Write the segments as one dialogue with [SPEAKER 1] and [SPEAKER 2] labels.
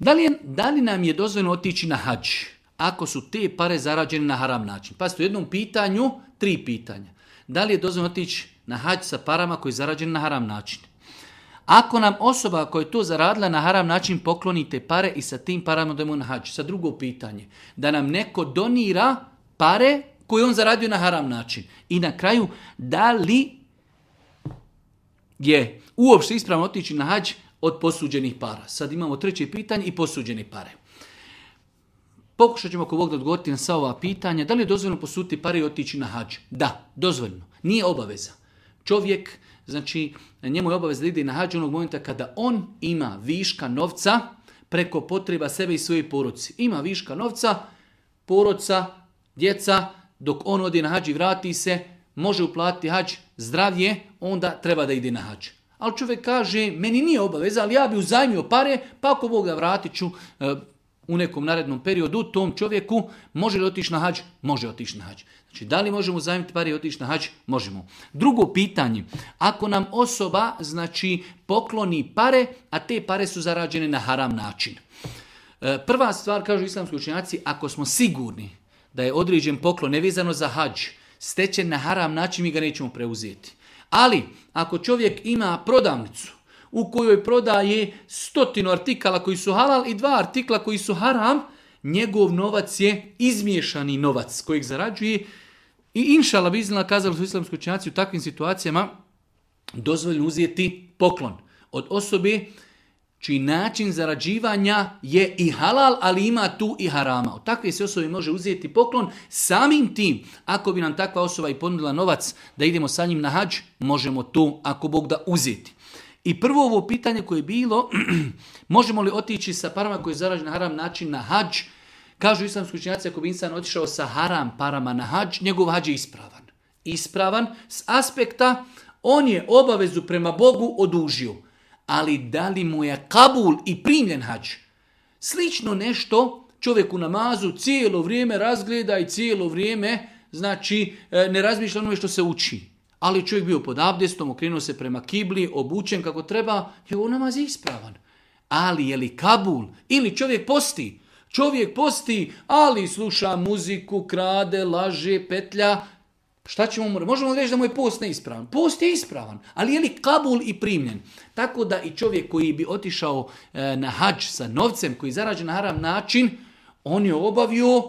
[SPEAKER 1] Da li nam je dozvoljeno otići na hadž ako su te pare zarađene na haram način? Pa u jednom pitanju 3 pitanja. Da li je dozvoljeno otići na hadž sa parama koji je zarađene na haram način? Ako nam osoba koja je to zaradila na haram način pokloni te pare i sa tim parama odemo na hadž. Sa drugo pitanje, da nam neko donira pare koje on zaradio na haram način. I na kraju, da li je uopšte ispravno otići na hadž od posuđenih para? Sad imamo 3. pitanje i posuđene pare. Pokušat ćemo ako Bog da odgovoriti na sva ova pitanja. Da li je dozvoljeno posuditi pare i otići na hadž? Da, dozvoljeno. Nije obaveza. Čovjek, znači, njemu je obaveza da ide na hadž onog momenta kada on ima viška novca preko potreba sebe i svoje porodice. Ima viška novca, porodca, djeca, dok on ode na hadž i vrati se, može uplatiti hadž, zdravlje, onda treba da ide na hadž. Ali čovjek kaže, meni nije obaveza, ali ja bi uzajmio pare, pa ako Bog da vratit ću u nekom narednom periodu tom čovjeku, može li otići na hadž? Može otići na hadž. Znači, da li možemo uzajmiti pare i otići na hadž? Možemo. Drugo pitanje, ako nam osoba, znači, pokloni pare, a te pare su zarađene na haram način. Prva stvar, kažu islamski učenjaci, ako smo sigurni da je određen poklon nevezano za hadž stečen na haram način, mi ga nećemo preuzeti. Ali, ako čovjek ima prodavnicu u kojoj prodaje 100 artikala koji su halal i 2 artikla koji su haram, njegov novac je izmiješani novac kojeg zarađuje i inšala bi iznala, kazali su islamski učenjaci, u takvim situacijama dozvoljeno uzeti poklon od osobe čiji način zarađivanja je i halal, ali ima tu i harama. Od takve se osobe može uzeti poklon. Samim tim, ako bi nam takva osoba i ponudila novac da idemo sa njim na hadž, možemo to, ako Bog da, uzeti. I prvo ovo pitanje koje je bilo, možemo li otići sa parama koje je zarađen na haram način na hadž, kažu islamski učenjaci, ako bi insan otišao sa haram parama na hadž, njegov hadž je ispravan. Ispravan s aspekta, on je obavezu prema Bogu odužio. Ali da li mu je kabul i primljen hadž? Slično nešto čovjek u namazu cijelo vrijeme razgleda i cijelo vrijeme, znači, ne razmišlja onome što se uči. Ali čovjek bio pod abdestom, okrenuo se prema kibli, obučen kako treba, njegov namaz je ispravan. Ali je li kabul? Ili čovjek posti? Čovjek posti, ali sluša muziku, krade, laže, petlja. Šta ćemo mu reći? Možemo reći da mu je post neispravan. Post je ispravan, ali je li kabul i primljen? Tako da i čovjek koji bi otišao na hadž sa novcem koji zarađen na haram način, on je obavio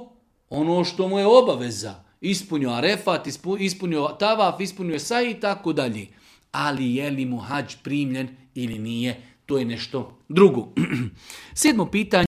[SPEAKER 1] ono što mu je obaveza. Ispunio arefat, ispunio tavaf, ispunio saj i tako dalje. Ali je li mu hadž primljen ili nije? To je nešto drugo. 7. pitanje.